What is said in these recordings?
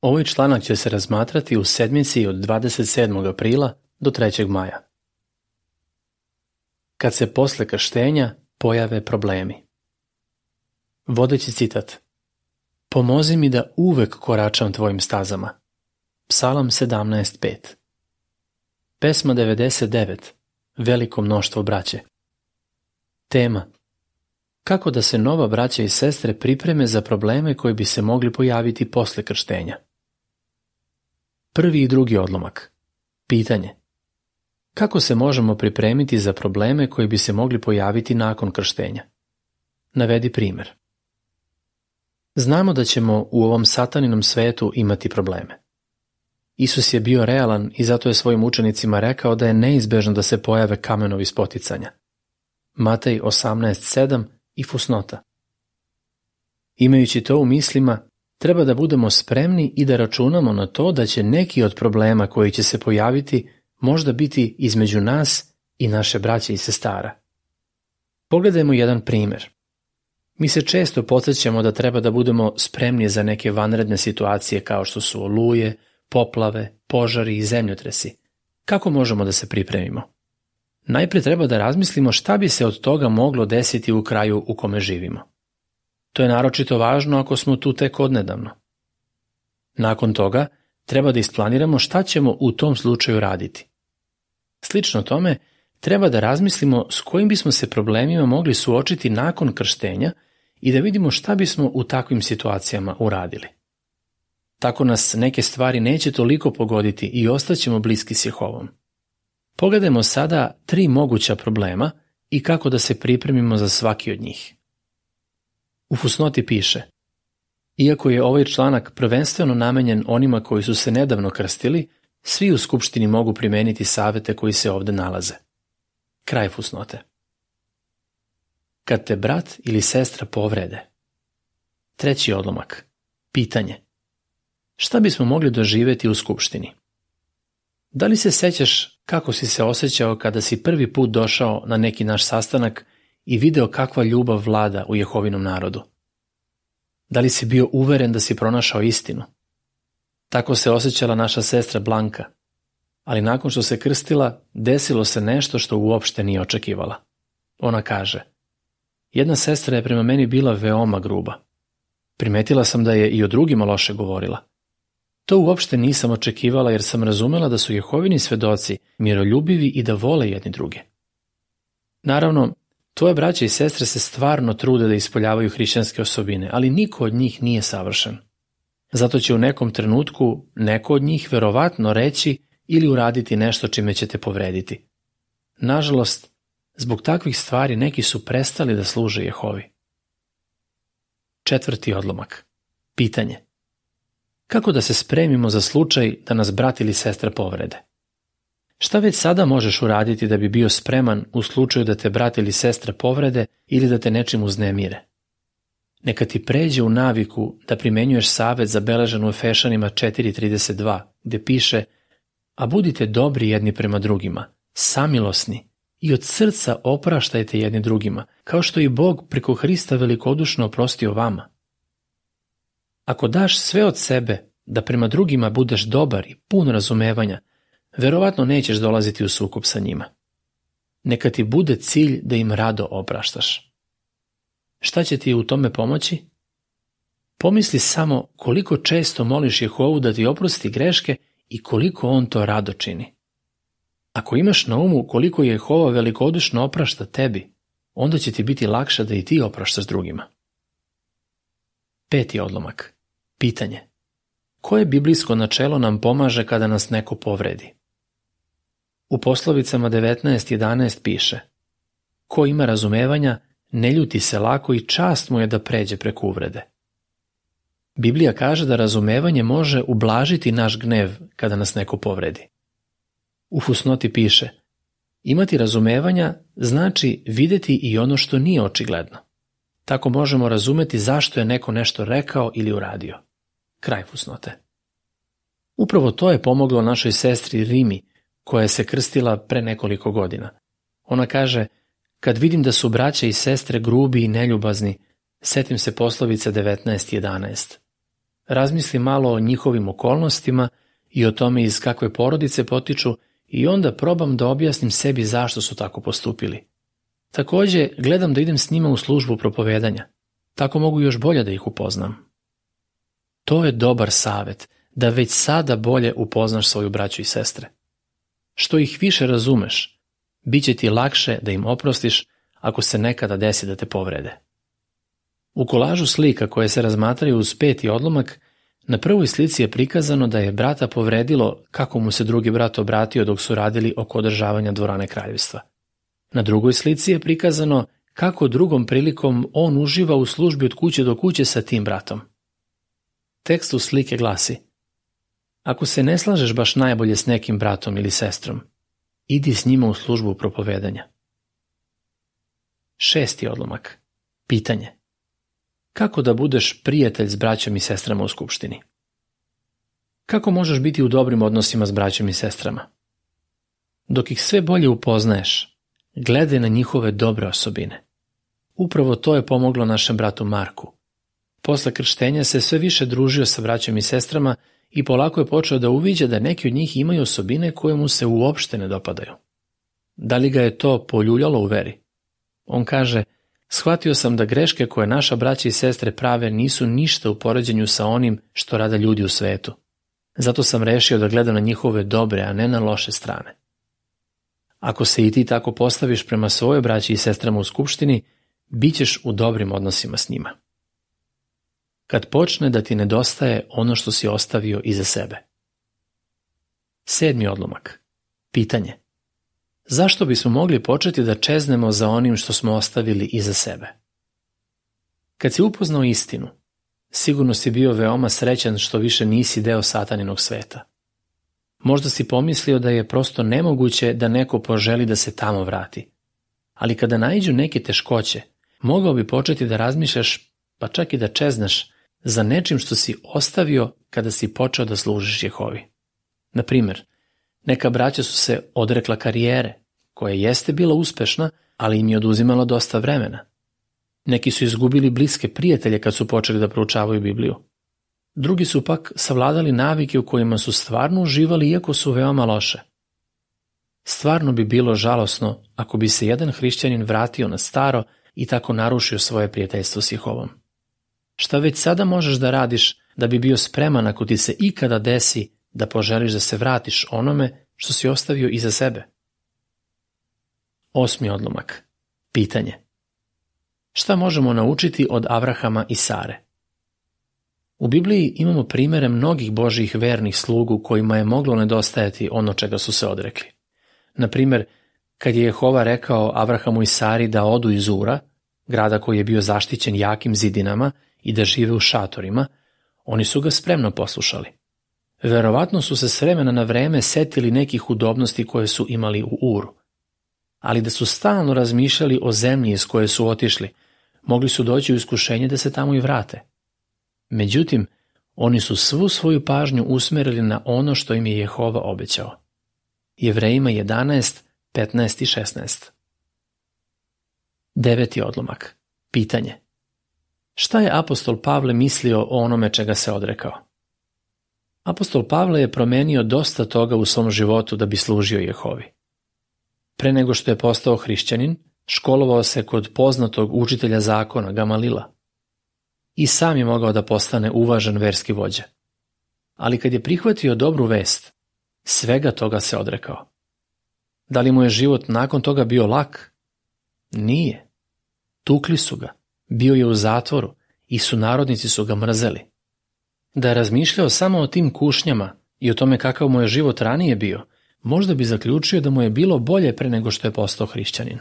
Ovaj članak će se razmatrati u sedmici od 27. aprila do 3. maja. Kad se posle krštenja pojave problemi. Vodeći citat. Pomozi mi da uvek koračam tvojim stazama. Psalam 17.5. Pesma 99. Veliko mnoštvo braće. Tema. Kako da se nova braća i sestre pripreme za probleme koji bi se mogli pojaviti posle krštenja. Prvi i drugi odlomak. Pitanje. Kako se možemo pripremiti za probleme koji bi se mogli pojaviti nakon krštenja? Navedi primjer. Znamo da ćemo u ovom sataninom svetu imati probleme. Isus je bio realan i zato je svojim učenicima rekao da je neizbežno da se pojave kamenovi spoticanja. Matej 18.7 i fusnota. Imajući to u mislima, treba da budemo spremni i da računamo na to da će neki od problema koji će se pojaviti možda biti između nas i naše braće i sestara. Pogledajmo jedan primjer. Mi se često podsjećamo da treba da budemo spremni za neke vanredne situacije kao što su oluje, poplave, požari i zemljotresi. Kako možemo da se pripremimo? Najprije treba da razmislimo šta bi se od toga moglo desiti u kraju u kome živimo. To je naročito važno ako smo tu tek odnedavno. Nakon toga, treba da isplaniramo šta ćemo u tom slučaju raditi. Slično tome, treba da razmislimo s kojim bismo se problemima mogli suočiti nakon krštenja i da vidimo šta bismo u takvim situacijama uradili. Tako nas neke stvari neće toliko pogoditi i ostaćemo bliski s Jehovom. Pogledajmo sada 3 moguća problema i kako da se pripremimo za svaki od njih. U fusnoti piše: iako je ovaj članak prvenstveno namenjen onima koji su se nedavno krstili, svi u skupštini mogu primeniti savete koji se ovde nalaze. Kraj fusnote. Kad te brat ili sestra povrede. Treći odlomak. Pitanje. Šta bismo mogli doživjeti u skupštini? Da li se sećaš kako si se osjećao kada si prvi put došao na neki naš sastanak i video kakva ljubav vlada u Jehovinom narodu? Da li si bio uveren da si pronašao istinu? Tako se osjećala naša sestra Blanka, ali nakon što se krstila, desilo se nešto što uopšte nije očekivala. Ona kaže: jedna sestra je prema meni bila veoma gruba. Primetila sam da je i o drugima loše govorila. To uopšte nisam očekivala jer sam razumela da su Jehovini svedoci miroljubivi i da vole jedni druge. Naravno, tvoje braće i sestre se stvarno trude da ispoljavaju hrišćanske osobine, ali niko od njih nije savršen. Zato će u nekom trenutku neko od njih verovatno reći ili uraditi nešto čime će te povrediti. Nažalost, zbog takvih stvari neki su prestali da služe Jehovi. Četvrti odlomak. Pitanje. Kako da se spremimo za slučaj da nas brat ili sestra povrede? Šta već sada možeš uraditi da bi bio spreman u slučaju da te brat ili sestra povrede ili da te nečim uznemire? Neka ti pređe u naviku da primenjuješ savet zabeležen u Efešanima 4.32, gde piše: a budite dobri jedni prema drugima, samilosni i od srca opraštajte jedni drugima, kao što i Bog preko Hrista velikodušno oprostio vama. Ako daš sve od sebe da prema drugima budeš dobar i pun razumevanja, verovatno nećeš dolaziti u sukob sa njima. Neka ti bude cilj da im rado opraštaš. Šta će ti u tome pomoći? Pomisli samo koliko često moliš Jehovu da ti oprosti greške i koliko on to rado čini. Ako imaš na umu koliko Jehova velikodušno oprašta tebi, onda će ti biti lakše da i ti opraštaš drugima. Peti odlomak. Pitanje. Koje biblijsko načelo nam pomaže kada nas neko povredi? U poslovicama 19.11 piše: ko ima razumevanja, ne ljuti se lako i čast mu je da pređe preko uvrede. Biblija kaže da razumevanje može ublažiti naš gnev kada nas neko povredi. U fusnoti piše: imati razumevanja znači videti i ono što nije očigledno. Tako možemo razumeti zašto je neko nešto rekao ili uradio. Kraj fusnote. Upravo to je pomoglo našoj sestri Rimi, koja se krstila pre nekoliko godina. Ona kaže: kad vidim da su braća i sestre grubi i neljubazni, setim se poslovice 19.11. razmislim malo o njihovim okolnostima i o tome iz kakve porodice potiču i onda probam da objasnim sebi zašto su tako postupili. Takođe, gledam da idem s njima u službu propovedanja. Tako mogu još bolje da ih upoznam. To je dobar savet, da već sada bolje upoznaš svoju braću i sestre. Što ih više razumeš, bit će ti lakše da im oprostiš ako se nekada desi da te povrede. U kolažu slika koje se razmatraju uz 5. odlomak, na prvoj slici je prikazano da je brata povredilo kako mu se drugi brat obratio dok su radili oko održavanja dvorane kraljevstva. Na drugoj slici je prikazano kako drugom prilikom on uživa u službi od kuće do kuće sa tim bratom. Tekst u slike glasi: ako se ne slažeš baš najbolje s nekim bratom ili sestrom, idi s njima u službu propovedanja. 6. odlomak. Pitanje: kako da budeš prijatelj s braćom i sestrama u skupštini? Kako možeš biti u dobrim odnosima s braćom i sestrama? Dok ih sve bolje upoznaješ, gledaj na njihove dobre osobine. Upravo to je pomoglo našem bratu Marku. Posle krštenja se sve više družio sa braćom i sestrama i polako je počeo da uviđa da neki od njih imaju osobine koje mu se uopšte ne dopadaju. Da li ga je to poljuljalo u veri? On kaže: shvatio sam da greške koje naša braća i sestre prave nisu ništa u poređenju sa onim što rade ljudi u svetu. Zato sam rešio da gledam na njihove dobre, a ne na loše strane. Ako se i ti tako postaviš prema svojoj braći i sestrama u skupštini, bit ćeš u dobrim odnosima s njima. Kad počne da ti nedostaje ono što si ostavio iza sebe. 7. odlomak. Pitanje: zašto bismo mogli početi da čeznemo za onim što smo ostavili iza sebe? Kad si upoznao istinu, sigurno si bio veoma srećan što više nisi deo sataninog sveta. Možda si pomislio da je prosto nemoguće da neko poželi da se tamo vrati. Ali kada naiđu neke teškoće, mogao bi početi da razmišljaš, pa čak i da čeznaš, za nečim što si ostavio kada si počeo da služiš Jehovi. Na primer, neka braća su se odrekla karijere, koja jeste bila uspešna, ali im je oduzimala dosta vremena. Neki su izgubili bliske prijatelje kad su počeli da proučavaju Bibliju. Drugi su pak savladali navike u kojima su stvarno uživali iako su veoma loše. Stvarno bi bilo žalosno ako bi se jedan hrišćanin vratio na staro i tako narušio svoje prijateljstvo s Jehovom. Šta već sada možeš da radiš da bi bio spreman ako ti se ikada desi da poželiš da se vratiš onome što si ostavio iza sebe? 8. odlomak. Pitanje: šta možemo naučiti od Avrahama i Sare? U Bibliji imamo primere mnogih Božjih vernih slugu kojima je moglo nedostajati ono čega su se odrekli. Na primer, kad je Jehova rekao Avrahamu i Sari da odu iz Ura, grada koji je bio zaštićen jakim zidinama, i da žive u šatorima, oni su ga spremno poslušali. Verovatno su se s vremena na vreme setili nekih udobnosti koje su imali u Uru. Ali da su stalno razmišljali o zemlji iz koje su otišli, mogli su doći u iskušenje da se tamo i vrate. Međutim, oni su svu svoju pažnju usmerili na ono što im je Jehova obećao. Jevrejima 11, 15 i 16. 9. odlomak. Pitanje: šta je apostol Pavle mislio o onome čega se odrekao? Apostol Pavle je promenio dosta toga u svom životu da bi služio Jehovi. Pre nego što je postao hrišćanin, školovao se kod poznatog učitelja zakona Gamalila. I sam je mogao da postane uvažen verski vođa. Ali kad je prihvatio dobru vest, svega toga se odrekao. Da li mu je život nakon toga bio lak? Nije. Tukli su ga, bio je u zatvoru i sunarodnici su ga mrzeli. Da je razmišljao samo o tim kušnjama i o tome kakav mu je život ranije bio, možda bi zaključio da mu je bilo bolje pre nego što je postao hrišćanin.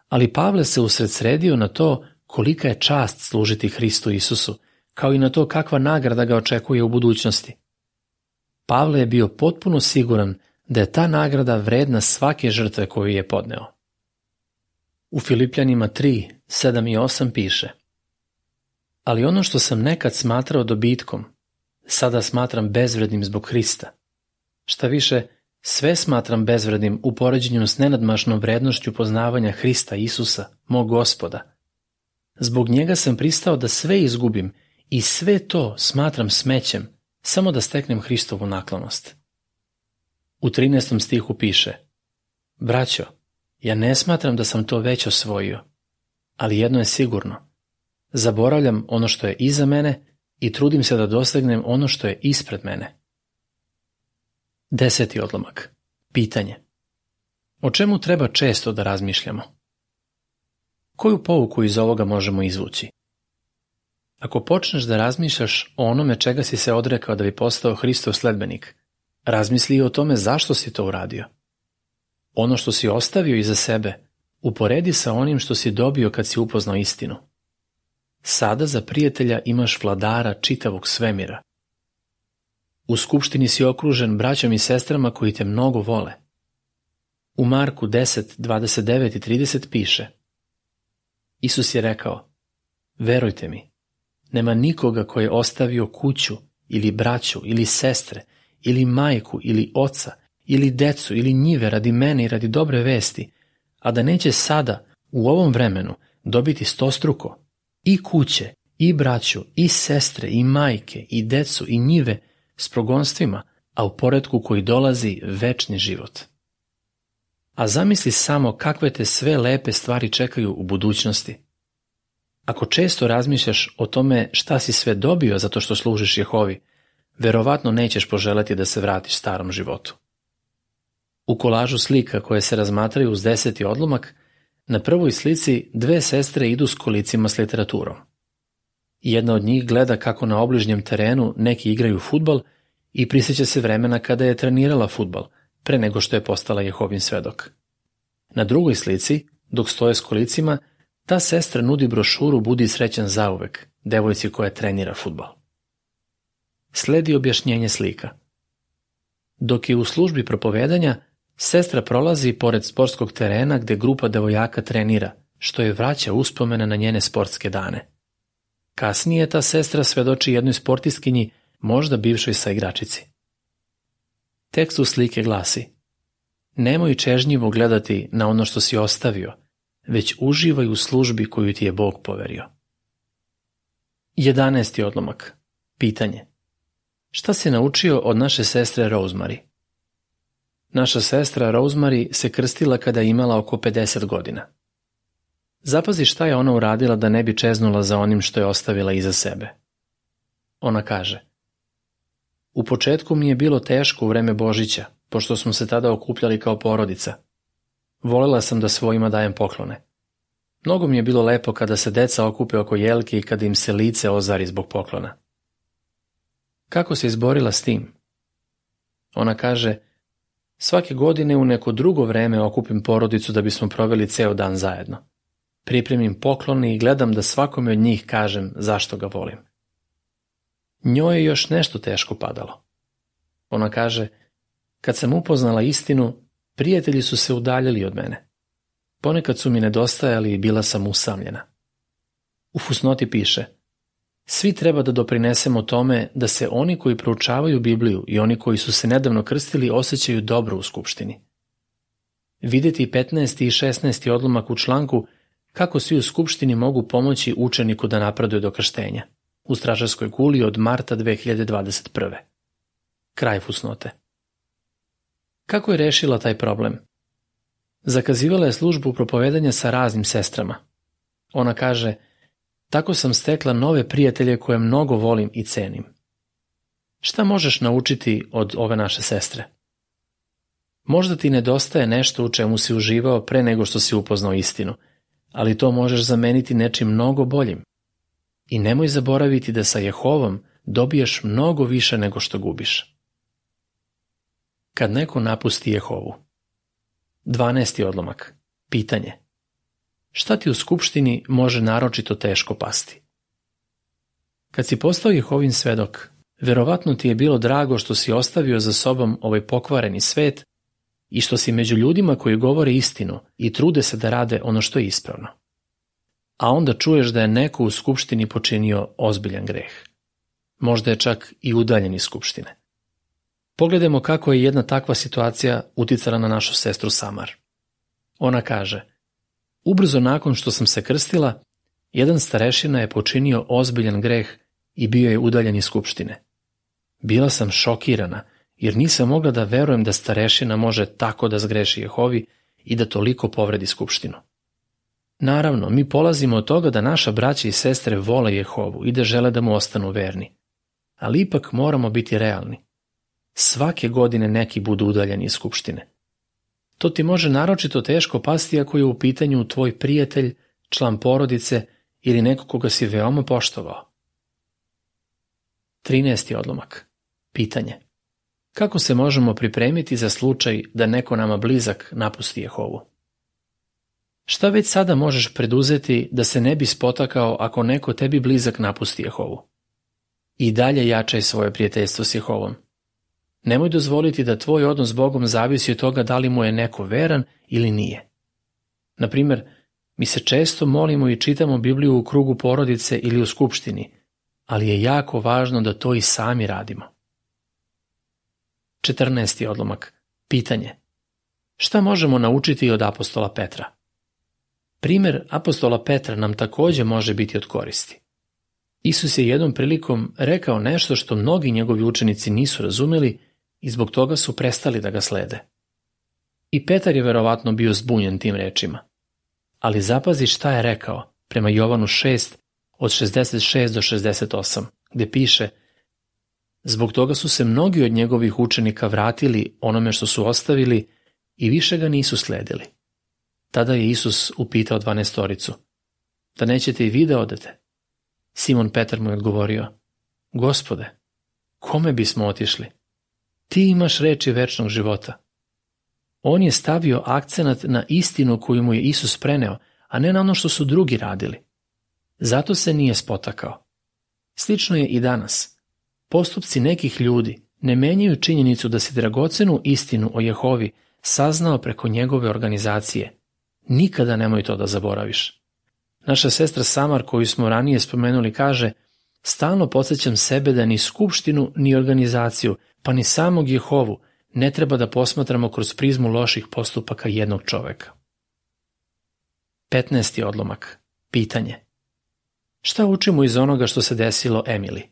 Ali Pavle se usredsredio na to kolika je čast služiti Hristu Isusu, kao i na to kakva nagrada ga očekuje u budućnosti. Pavle je bio potpuno siguran da je ta nagrada vredna svake žrtve koju je podneo. U Filipljanima 3, 7 i 8 piše: ali ono što sam nekad smatrao dobitkom, sada smatram bezvrednim zbog Hrista. Šta više, sve smatram bezvrednim u poređenju s nenadmašnom vrednošću poznavanja Hrista Isusa, mog Gospoda. Zbog njega sam pristao da sve izgubim i sve to smatram smećem samo da steknem Hristovu naklonost. U 13. stihu piše: Braćo, ja ne smatram da sam to već osvojio, ali jedno je sigurno. Zaboravljam ono što je iza mene i trudim se da dosegnem ono što je ispred mene. 10. odlomak. Pitanje. O čemu treba često da razmišljamo? Koju pouku iz ovoga možemo izvući? Ako počneš da razmišljaš o onome čega si se odrekao da bi postao Hristov sledbenik, razmisli i o tome zašto si to uradio. Ono što si ostavio iza sebe, uporedi sa onim što si dobio kad si upoznao istinu. Sada za prijatelja imaš vladara čitavog svemira. U skupštini si okružen braćom i sestrama koji te mnogo vole. U Marku 10, 29 i 30 piše: Isus je rekao: Verujte mi, nema nikoga koji je ostavio kuću ili braću ili sestre ili majku ili oca ili decu ili njive radi mene i radi dobre vesti, a da neće sada u ovom vremenu dobiti 100struko, i kuće, i braću, i sestre, i majke, i decu, i njive s progonstvima, a u poretku koji dolazi večni život. A zamisli samo kakve te sve lepe stvari čekaju u budućnosti. Ako često razmišljaš o tome šta si sve dobio zato što služiš Jehovi, verovatno nećeš poželeti da se vratiš starom životu. U kolažu slika koje se razmatraju uz 10. odlomak, na prvoj slici dve sestre idu s kolicima s literaturom. Jedna od njih gleda kako na obližnjem terenu neki igraju fudbal i prisjeća se vremena kada je trenirala fudbal, pre nego što je postala Jehovin svedok. Na drugoj slici, dok stoje s kolicima, ta sestra nudi brošuru Budi srećan zauvek, devojci koja trenira fudbal. Sledi objašnjenje slika. Dok je u službi propovedanja, sestra prolazi pored sportskog terena gde grupa devojaka trenira, što je vraća uspomene na njene sportske dane. Kasnije ta sestra svedoči jednoj sportistkinji, možda bivšoj saigračici. Tekst u slike glasi: Nemoj čežnjivo gledati na ono što si ostavio, već uživaj u službi koju ti je Bog poverio. 11. odlomak. Pitanje. Šta si naučio od naše sestre Rosemary? Naša sestra Rosemary se krstila kada je imala oko 50 godina. Zapazi šta je ona uradila da ne bi čeznula za onim što je ostavila iza sebe. Ona kaže: U početku mi je bilo teško u vreme Božića, pošto smo se tada okupljali kao porodica. Volela sam da svojima dajem poklone. Mnogo mi je bilo lepo kada se deca okupe oko jelke i kada im se lice ozari zbog poklona. Kako se izborila s tim? Ona kaže: Svake godine u neko drugo vreme okupim porodicu da bismo proveli ceo dan zajedno. Pripremim poklone i gledam da svakome od njih kažem zašto ga volim. Njoj je još nešto teško padalo. Ona kaže: Kad sam upoznala istinu, prijatelji su se udaljili od mene. Ponekad su mi nedostajali i bila sam usamljena. U fusnoti piše: Svi treba da doprinesemo tome da se oni koji proučavaju Bibliju i oni koji su se nedavno krstili osjećaju dobro u skupštini. Vidjeti 15. i 16. odlomak u članku kako svi u skupštini mogu pomoći učeniku da napreduje do krštenja, u stražarskoj kuli od marta 2021. Kraj fusnote. Kako je rešila taj problem? Zakazivala je službu propovedanja sa raznim sestrama. Ona kaže: Tako sam stekla nove prijatelje koje mnogo volim i cenim. Šta možeš naučiti od ove naše sestre? Možda ti nedostaje nešto u čemu si uživao pre nego što si upoznao istinu, ali to možeš zameniti nečim mnogo boljim. I nemoj zaboraviti da sa Jehovom dobiješ mnogo više nego što gubiš. Kad neko napusti Jehovu. 12. odlomak. Pitanje. Šta ti u skupštini može naročito teško pasti? Kad si postao Jehovin svedok, verovatno ti je bilo drago što si ostavio za sobom ovaj pokvareni svet i što si među ljudima koji govore istinu i trude se da rade ono što je ispravno. A onda čuješ da je neko u skupštini počinio ozbiljan greh. Možda je čak i udaljen iz skupštine. Pogledajmo kako je jedna takva situacija uticala na našu sestru Samar. Ona kaže: Ubrzo nakon što sam se krstila, jedan starešina je počinio ozbiljan greh i bio je udaljen iz skupštine. Bila sam šokirana, jer nisam mogla da verujem da starešina može tako da zgreši Jehovi i da toliko povredi skupštinu. Naravno, mi polazimo od toga da naša braća i sestre vole Jehovu i da žele da mu ostanu verni. Ali ipak moramo biti realni. Svake godine neki budu udaljeni iz skupštine. To ti može naročito teško pasti ako je u pitanju tvoj prijatelj, član porodice ili neko koga si veoma poštovao. 13. odlomak. Pitanje. Kako se možemo pripremiti za slučaj da neko nama blizak napusti Jehovu? Šta već sada možeš preduzeti da se ne bi spotakao ako neko tebi blizak napusti Jehovu? I dalje jačaj svoje prijateljstvo s Jehovom. Nemoj dozvoliti da tvoj odnos s Bogom zavisi od toga da li mu je neko veran ili nije. Na primjer, mi se često molimo i čitamo Bibliju u krugu porodice ili u skupštini, ali je jako važno da to i sami radimo. 14. odlomak. Pitanje. Šta možemo naučiti od apostola Petra? Primer apostola Petra nam također može biti od koristi. Isus je jednom prilikom rekao nešto što mnogi njegovi učenici nisu razumeli i zbog toga su prestali da ga slede. I Petar je verovatno bio zbunjen tim rečima. Ali zapazi šta je rekao prema Jovanu 6 od 66 do 68, gde piše: zbog toga su se mnogi od njegovih učenika vratili onome što su ostavili i više ga nisu sledili. Tada je Isus upitao 12-toricu: da nećete i vi da odete? Simon Petar mu je odgovorio: Gospode, kome bismo otišli? Ti imaš reči večnog života. On je stavio akcenat na istinu koju mu je Isus preneo, a ne na ono što su drugi radili. Zato se nije spotakao. Slično je i danas. Postupci nekih ljudi ne menjaju činjenicu da si dragocenu istinu o Jehovi saznao preko njegove organizacije. Nikada nemoj to da zaboraviš. Naša sestra Samar, koju smo ranije spomenuli, kaže: stalno podsjećam sebe da ni skupštinu, ni organizaciju, pa ni samog Jehovu ne treba da posmatramo kroz prizmu loših postupaka jednog čoveka. 15. odlomak. Pitanje. Šta učimo iz onoga što se desilo Emily?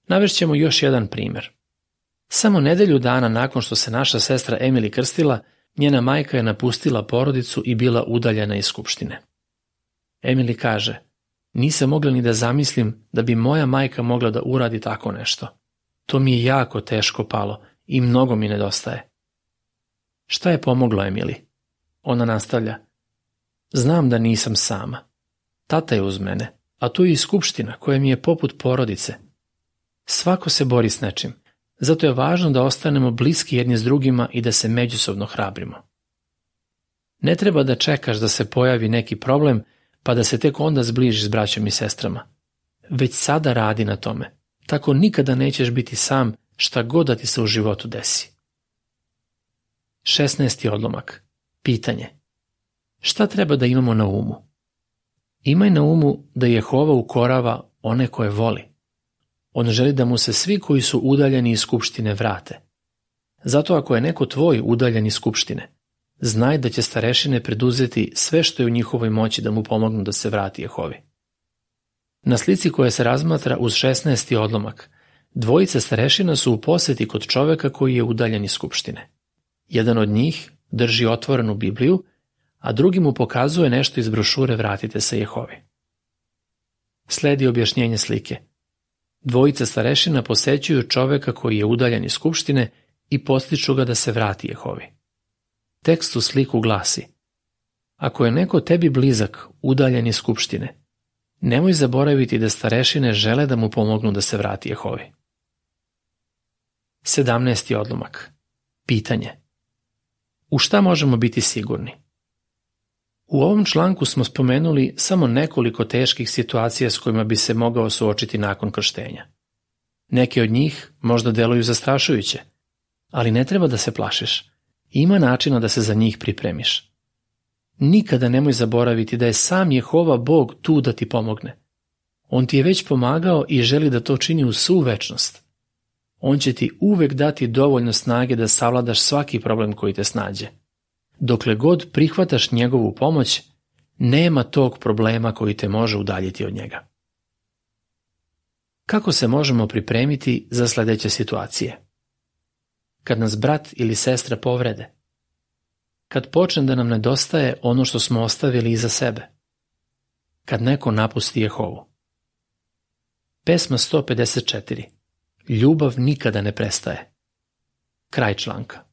Navešćemo još jedan primjer. Samo nedelju dana nakon što se naša sestra Emily krstila, njena majka je napustila porodicu i bila udaljena iz skupštine. Emily kaže: nisam mogla ni da zamislim da bi moja majka mogla da uradi tako nešto. To mi je jako teško palo i mnogo mi nedostaje. Šta je pomoglo Emily? Ona nastavlja: znam da nisam sama. Tata je uz mene, a tu je i skupština koja mi je poput porodice. Svako se bori s nečim, zato je važno da ostanemo bliski jedni s drugima i da se međusobno hrabrimo. Ne treba da čekaš da se pojavi neki problem, pa da se tek onda zbližiš s braćom i sestrama. Već sada radi na tome, tako nikada nećeš biti sam šta god da ti se u životu desi. 16. odlomak. Pitanje. Šta treba da imamo na umu? Imaj na umu da Jehova ukorava one koje voli. On želi da mu se svi koji su udaljeni iz skupštine vrate. Zato ako je neko tvoj udaljen iz skupštine, znaj da će starešine preduzeti sve što je u njihovoj moći da mu pomognu da se vrati Jehovi. Na slici koja se razmatra uz 16. odlomak, dvojica starešina su u poseti kod čoveka koji je udaljen iz skupštine. Jedan od njih drži otvorenu Bibliju, a drugi mu pokazuje nešto iz brošure Vratite se Jehovi. Sledi objašnjenje slike. Dvojica starešina posećuju čoveka koji je udaljen iz skupštine i podstiču ga da se vrati Jehovi. Tekst u sliku glasi: ako je neko tebi blizak udaljen iz skupštine, nemoj zaboraviti da starešine žele da mu pomognu da se vrati Jehovi. 17. odlomak. Pitanje. U šta možemo biti sigurni? U ovom članku smo spomenuli samo nekoliko teških situacija s kojima bi se mogao suočiti nakon krštenja. Neke od njih možda deluju zastrašujuće, ali ne treba da se plašiš. Ima načina da se za njih pripremiš. Nikada nemoj zaboraviti da je sam Jehova Bog tu da ti pomogne. On ti je već pomagao i želi da to čini u svu večnost. On će ti uvek dati dovoljno snage da savladaš svaki problem koji te snađe. Dokle god prihvataš njegovu pomoć, nema tog problema koji te može udaljiti od njega. Kako se možemo pripremiti za sljedeće situacije? Kad nas brat ili sestra povrede? Kad počne da nam nedostaje ono što smo ostavili iza sebe? Kad neko napusti Jehovu? Pesma 154. Ljubav nikada ne prestaje. Kraj članka.